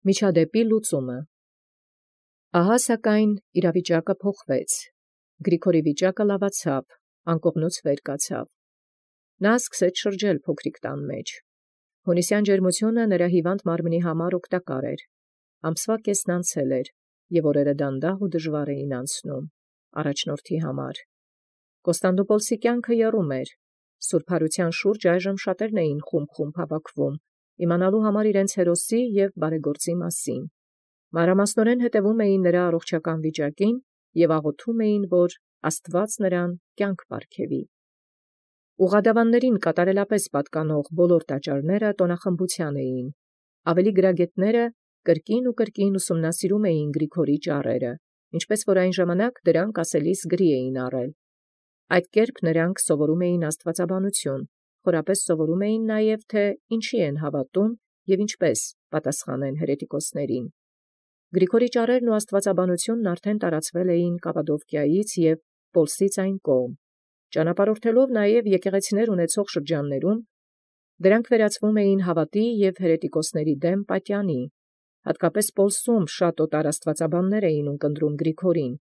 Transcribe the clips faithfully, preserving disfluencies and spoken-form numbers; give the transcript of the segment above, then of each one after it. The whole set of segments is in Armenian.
Միջադեպի լուծումը։ Ահա սակայն իրավիճակը փոխվեց. Գրիգորի վիճակը լավացավ, անկողնուց վեր կացավ։ Նա սկսեց շրջել փոքրիկ տան մեջ։ Հունիսյան ջերմությունը նրա հիվանդ մարմնի համար օգտակար էր։ Ամսվա կեսն անցել էր, և օրերը դանդաղ ու դժվար էին անցնում առաջնորդի համար։ Կոստանդնուպոլսի կյանքը եռում էր։ Սուրբ Հարության շուրջ այժմ շատերն էին խումբ-խումբ հավաքվում, իմանալու համար իրենց հերոսի և բարեգործի մասին։ Մանրամասնորեն հետևում էին նրա առողջական վիճակին և աղոթում էին, որ Աստված նրան կյանք պարգևի։ Ուղղադավաններին կատարելապես պատկանող բոլոր տաճարները տոնախմբության էին։ Ավելի գրագետները կրկին ու կրկին ուսումնասիրում էին Գրիգորի ճառերը, ինչպես որ այն ժամանակ դրանք ասելիս գրի էին առել։ Այդ կերպ նրանք սովորում էին աստվածաբանություն, խորապես սովորում էին նաև, թե ինչի են հավատում և ինչպես պատասխանեն հերետիկոսներին։ Գրիգորի ճառերն ու աստվածաբանությունն արդեն տարածվել էին Կապադովկիայից և Պոլսից այն կողմ։ Ճանապարհորդելով նաև եկեղեցիներ ունեցող շրջաններում, դրանք վերածվում էին հավատի և հերետիկոսների դեմ պատյանի։ Հատկապես Պոլսում շատ օտար աստվածաբաններ էին ունկնդրում Գրիգորին,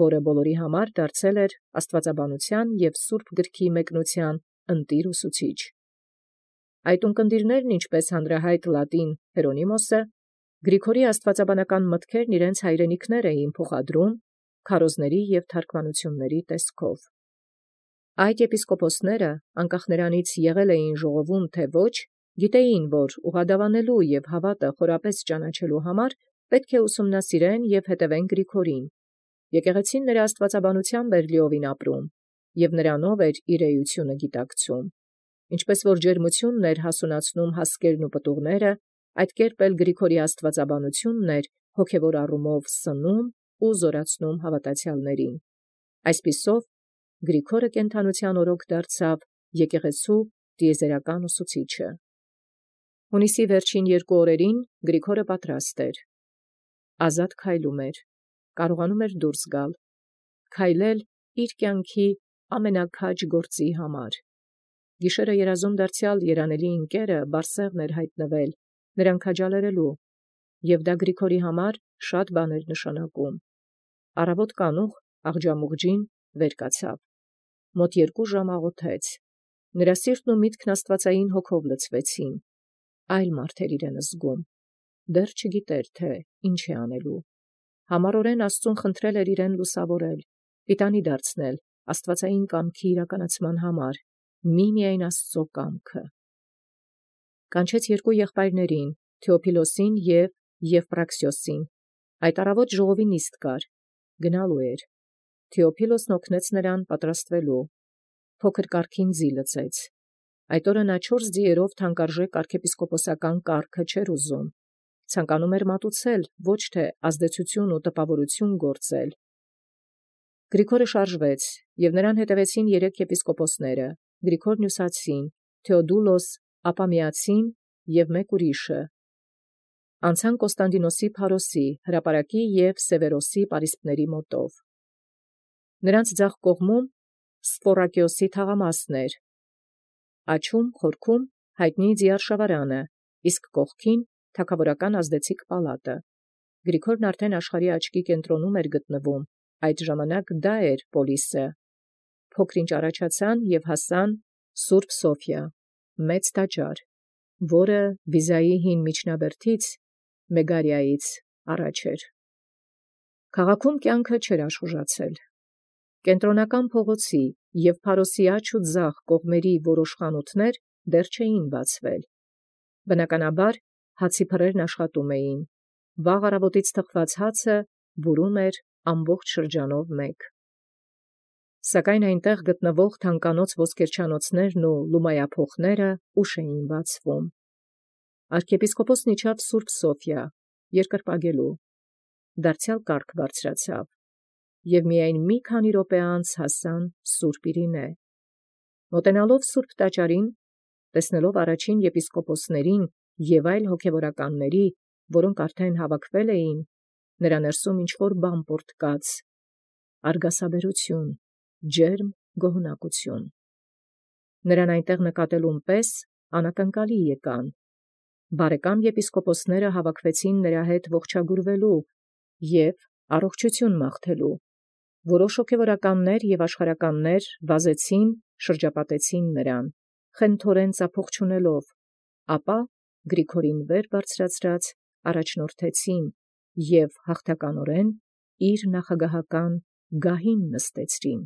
որը բոլորի համար դարձել էր աստվածաբանության և Սուրբ գրքի մեկնության ընտիր ուսուցիչ։ Այդ ունկնդիրներն, ինչպես հանրահայտ լատին Հերոնիմոսը, Գրիգորի աստվածաբանական մտքերն իրենց հայրենիքներ էին փոխադրում քարոզների և թարգմանությունների տեսքով։ Այդ եպիսկոպոսները, անկախ նրանից եղել էին ժողովում, թե ոչ, գիտեին, որ ուղղադավանելու և հավատը խորապես ճանաչելու համար պետք է ուսումնասիրեն և հետևեն Գրիգորին։ Եկեղեցին նրա աստվածաբանությամբ էր լիովին ապրում, և նրանով էր իր էությունը գիտակցում։ Ինչպես որ ջերմությունն էր հասունացնում հասկերն ու պտուղները, այդ կերպ էլ Գրիգորի աստվածաբանությունն էր հոգևոր առումով սնում ու զորացնում հավատացյալներին։ Այսպիսով Գրիգորը կենդանության օրոք դարձավ եկեղեցու տիեզերական ուսուցիչը։ Հունիսի վերջին երկու օրերին Գրիգորը պատրաստ էր։ Ազատ քայլում էր, կարողանում էր դուրս գալ, քայլել իր կյանքի ամենաքաջ գործի համար։ Գիշերը երազում դարձյալ երանելի ընկերը Բարսեղն էր հայտնվել, նրան քաջալերելու, և դա Գրիգորի համար շատ բան էր նշանակում։ Առավոտ կանուխ աղջամուղջին վեր կացավ։ Մոտ երկու ժամ աղոթեց։ Նրա սիրտն ու միտքն աստվածային հոգով լցվեցին։ Այլ մարդ էր իրեն զգում։ Դեռ չգիտեր, թե ինչ է անելու։ Համառորեն Աստծուն խնդրել էր իրեն լուսավորել, պիտանի դարձնել աստվածային կամքի իրականացման համար, միմիայն Աստծո կամքը։ Կանչեց երկու եղբայրներին՝ Թեոփիլոսին և Եվպրաքսիոսին։ Այդ առավոտ ժողովի նիստ կար, գնալու էր։ Թեոփիլոսն օգնեց նրան պատրաստվելու։ Փոքր կարգին ձի լցեց։ Այդ օրը նա չորս ձիերով թանկարժեք arczepiskoposական կարգը չէր ուզում։ Ցանկանում էր մատուցել, ոչ թե ազդեցություն ու տպավորություն գործել։ Գրիգորը շարժվեց, և նրան հետևեցին երեք եպիսկոպոսները՝ Գրիգոր Նյուսացին, Թեոդուլոս Ապամեացին և մեկ ուրիշը։ Անցան Կոստանդինոսի Փարոսի, հրապարակի և Սևերոսի պարիսպների մոտով։ Նրանց ձախ կողմում Սպորակիոսի թաղամասն էր, աջում խորքում հայտնի Ձիարշավարանը, իսկ կողքին թագավորական ազդեցիկ պալատը։ Գրիգորն արդեն աշխարհի աչքի կենտրոնում էր գտնվում, այդ ժամանակ դա էր Պոլիսը։ Փոքր-ինչ առաջացան և հասան Սուրբ Սոֆիա, մեծ տաճար, որը Վիզայի հին միջնաբերդից Մեգարիայից առաջ էր։ Քաղաքում կյանքը չէր աշխուժացել։ Կենտրոնական փողոցի և Փարոսի աջ ու ձախ կողմերի որոշ խանութներ դեռ չէին բացվել։ Բնականաբար հացի փռերն աշխատում էին։ Վաղ առավոտից թխված հացը բուրում էր ամբողջ շրջանով մեկ։ Սակայն այնտեղ գտնվող թանկանոց ոսկերչանոցներն ու լումայափոխները ուշ էին բացվում։ Arczepiskopոսն իջավ Սուրբ Սոֆիա, երկրպագելու։ Դարձյալ կարգ բարձրացավ, և միայն մի քանի րոպե անց հասան Սուրբ Իրինե։ Մոտենալով Սուրբ տաճարին, տեսնելով առաջին եպիսկոպոսներին և այլ հոգևորականների, որոնք արդեն հավաքվել էին, նրա ներսում ինչ-որ բան պոռթկաց, արգասաբերություն, ջերմ գոհունակություն։ Նրան այնտեղ նկատելուն պես անակնկալի եկան։ Բարեկամ եպիսկոպոսները հավաքվեցին նրա հետ ողջագուրվելու և առողջություն մաղթելու։ Որոշ հոգևորականներ և աշխարհականներ վազեցին, շրջապատեցին նրան, խնդհորեն ծափող չունելով, ապա Գրիգորին վեր բարձրացրած առաջնորդեցին և հաղթականորեն իր նախագահական գահին նստեցրին։